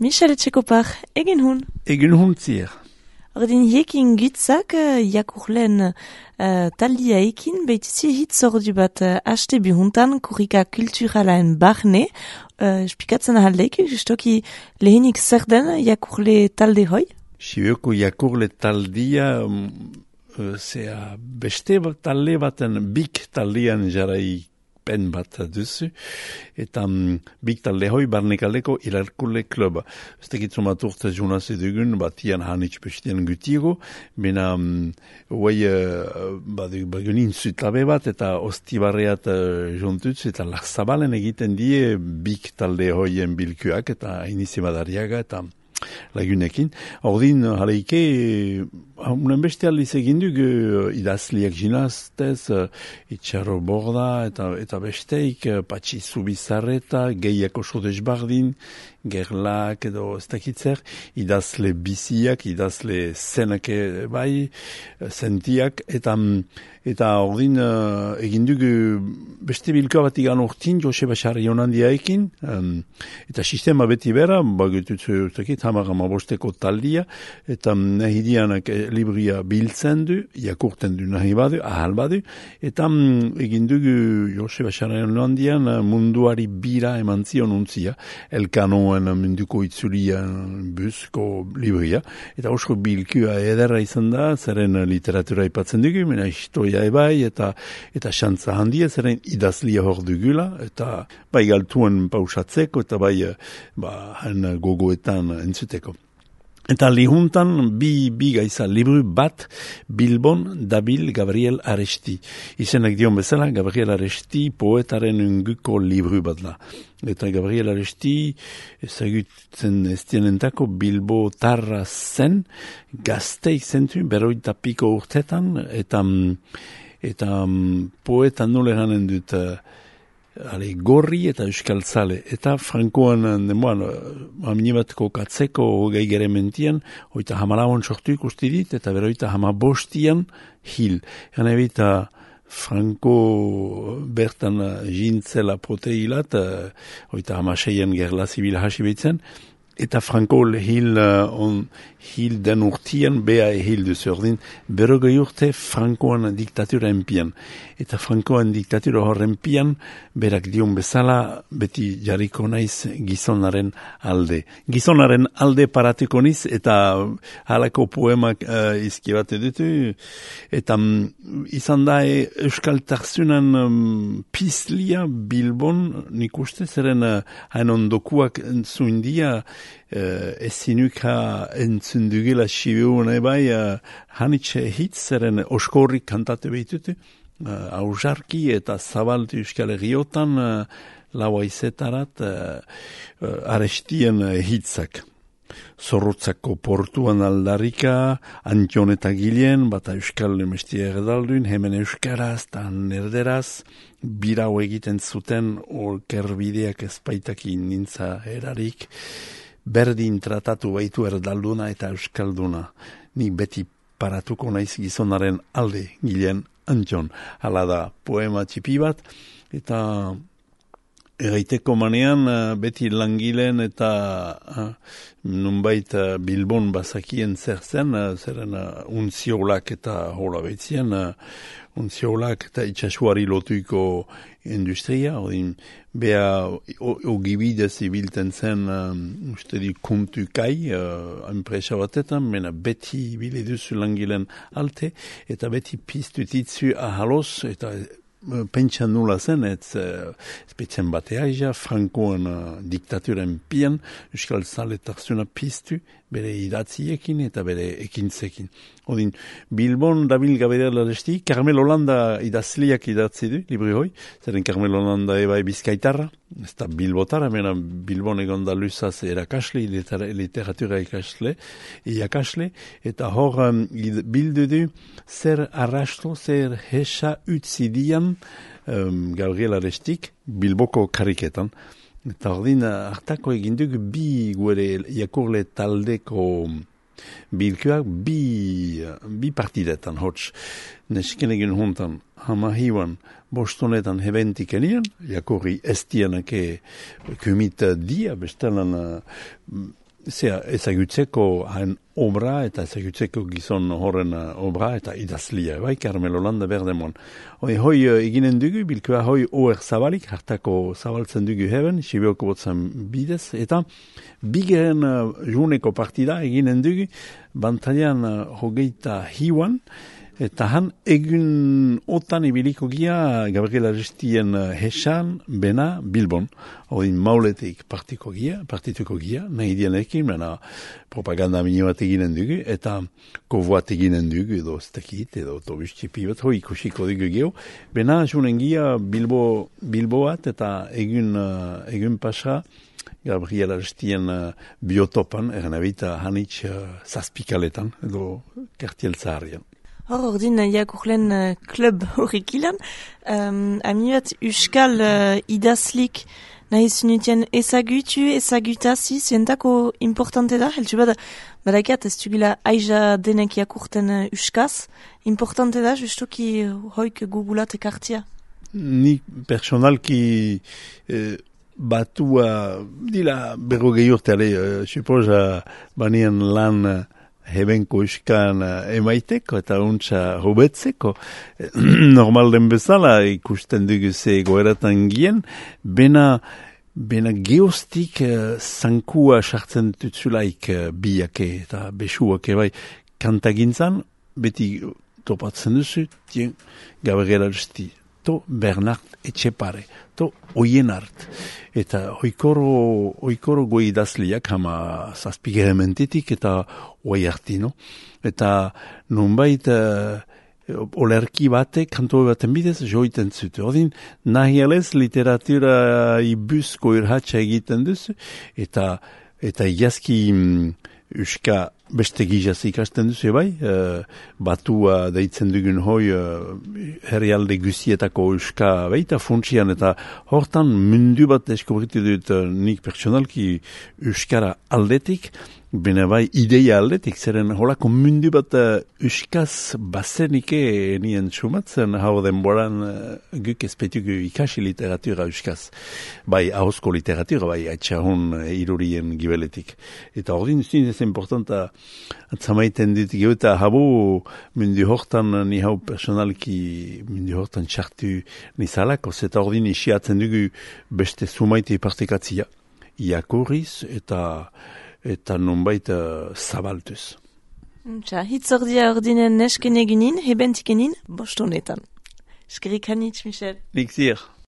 Michel Etxekopar, egin hun. Egin hun zier. Ordin hiekin gutzak jakurlen taldia ekin, behitzi hitz ordu bat haste bihuntan kurrika kulturalaen barne. Spikatzen ahaldeik, justoki lehenik zer den jakurle talde hoi? Sibioko jakurle taldia, zea beste talde baten bik taldean jarai pen bat duzu, eta bik talde hoi barnekaldeko ilarkule kluba. Ez tekitzu bat urte junaz edugun, batian hanitz bestien gutiego, bena huai bagunin zutlabe bat, eta ostibarreat jontutz, eta larzabalen egiten die bik talde hoien bilkuak, eta inizimadariaga, eta lagunekin. Ordin, jaleike, unen beste aldiz egin duk idazliak jinaztez, itxarro borda, eta besteik, patxi zubizarreta, gehiako sodez bardin, gerlak edo ez dakitzer, idazle biziak, idazle zenake bai, sentiak, eta ordin egin duk beste bilkoa bat igan urtin, Joseba Sarri honandia ekin, eta sistema beti bera, bagututzu hamar-hamabosteko taldia, eta nahi dianak libria biltzen du, jakurten du nahi badu, ahal badu, eta egin dugu Joseba Sarri honandian munduari bira eman zion untzia, Elkanoen munduko itzulia buzko libria, eta osko bilkua ederra izan da, zeren literatura ipatzen dugu, mena historia ebai, eta xantza handia, zeren idazlia hor dugula, eta bai galtuen pausatzeko, eta bai gogoetan entzuteko. Eta lihuntan bi gaiza libru bat Bilbon dabil Gabriel Aresti. Izenak dion bezala, Gabriel Aresti poetaren unguko libru bat da. Eta Gabriel Aresti ezagutzen estienentako Bilbo tarra zen, gazteik zentu, beroita piko urtetan, eta poetan nule ganen dut gorri eta euskaltzale. Eta Frankoan demoan, aminibatko katzeko hogei gere mentian, oita hamalauan sortu ikusti dit, eta beroita hamabostian hil. Gana ebita Franko bertan jintzela proteilat, oita hamaseian gerla zibil hasi behitzen, eta Franko hil den urtian bea hil duzordin, berrogei urte Frankoan diktatura enpian. Eta Frankoan diktatura horren pian, berak dion bezala, beti jarriko naiz gizonaren alde. Gizonaren alde paratuko niz, eta halako poemak izkibate dutu, eta izan da euskaltarzunan pizlia Bilbon, nik uste, zeren hain ondokuak zuindia, ezinuka entzundugela sibiuna bai, hanitxe hitz, zeren oskorrik kantatu behitutu, ausarki eta zabaltu Euskal Herriotan laua izetarat Arestien hitzak. Zorrotzako portuan aldarika, Antion eta Gilen, bata Euskal Mestia erdaldun, hemen Euskaraz eta nerderaz, birau egiten zuten olkerbideak ezpaitakin nintza erarik, berdin tratatu baitu erdalduna eta euskalduna. Nik beti paratuko naiz gizonaren alde, Gilen, Antion. Hala da poema txipi bat, eta eraiteko manean beti langileen eta nunbait Bilbon bazakien zer zen, zeren untziolak eta hola behitzien, untziolak eta itxasuari lotuiko industria, odin beha ogibidez ibilten zen uste di kuntukai enpresa batetan, mena beti bile duzu langileen alte, eta beti piztutitzu ahaloz, eta pentsan nula zen, ezpetzen batea Frankoan diktaturen pian, Euskal Zaletarzuna piztu, bere idatziekin eta bere ekintzekin. Odin, Bilbon dabil Gabriel Aresti, Carmel Holanda idazliak idatzi du, libri hoi, zeren Carmel Holanda ebai bizkaitarra, ez da Bilbotara, mena Bilbon egon da luzaz erakasle, literatura iakasle, eta hor bildu du zer arrasto, zer hesa utzidian Gabriel Arestik Bilboko kariketan. Eta ordin hartako eginduk bi guere jakurle taldeko bilkuak bi partidetan hots. Nesken egin hontan hamahiuan bostonetan hebentik enian, jakurri estianake kumita dia bestelan ezagutzeko hain obra eta ezagutzeko gizon horren obra eta idazlia, bai, Carmelo Landa Berdemon. Hoi eginen dugu, bilkua hoi oer zabalik, hartako zabaltzen dugu heben, Sibioko botzen bidez, eta bigeren juneko partida eginen dugu, bantailan hogeita hiuan, eta han egun otan ibiliko gia Gabriela Restien Hesan, Bena, Bilbon. Odin mauletik partituko gia, nahi dienekin, bena propaganda minio bat eginen dugu, eta kovoat eginen dugu, edo stekit, edo autobustxipi bat, hoi ikusiko dugu geho. Bena junen gia Bilboat, eta egun pasa, Gabriela Restien biotopan, eranabita hanitz zazpikaletan, edo kartiel zaharrian. Ordin jakurlen klub horrik ilan, amiat uskal idazlik nahi zunutien ezagutazi, zientako importante da, heltsu badakat ez dugula aiza denek jakurten uskaz, importante da, justuki hoik gugulat ekartia. Ni personalki batua dila berrogei urte, suposa banien lan hebenko uskan emaiteko eta untsa hobetzeko. Normal den bezala ikusten dugu ze goeratan gien, bena geostik zankua sartzen tutzulaik biake eta besuake bai kantagintzan, beti topatzen duzu, Gabriela Resti, to Bernard Etxepare, to Oienart. Eta oikoro goi idazliak hama zazpigerementetik eta oi hartino. Eta nunbait olerki batek, kanto baten bidez, joiten zute. Odin, nahi alez literatura ibuzko irhatxa egiten duzu, eta iazki uska beste gizaz ikasten duzu, bai, batua deitzen dugun hoi herrialde guzietako uska baita funtsian, eta hortan mundu bat deskobritu dut nik personalki uskara aldetik, bena bai ideia aldetik, zeren holako mundu bat uskaz bazenike nien sumatzen hau denboran guk ezpetugu ikasi literatura uskaz. Bai, ahozko literatura, bai, atxahun irurien gibeletik. Eta ordin zinez importanta atzamaiten dit geuta habu mundu hortan ni hau personalki mundu hortan txartu nizalako, zeta ordin isiatzen dugu beste sumaite partekatzia. Iakurriz eta nonbait zabaltuz. Hitzordia ordinen nesken eginin, hebentikenin, bostonetan. Eskerik hanitz, Michel. Nik zier.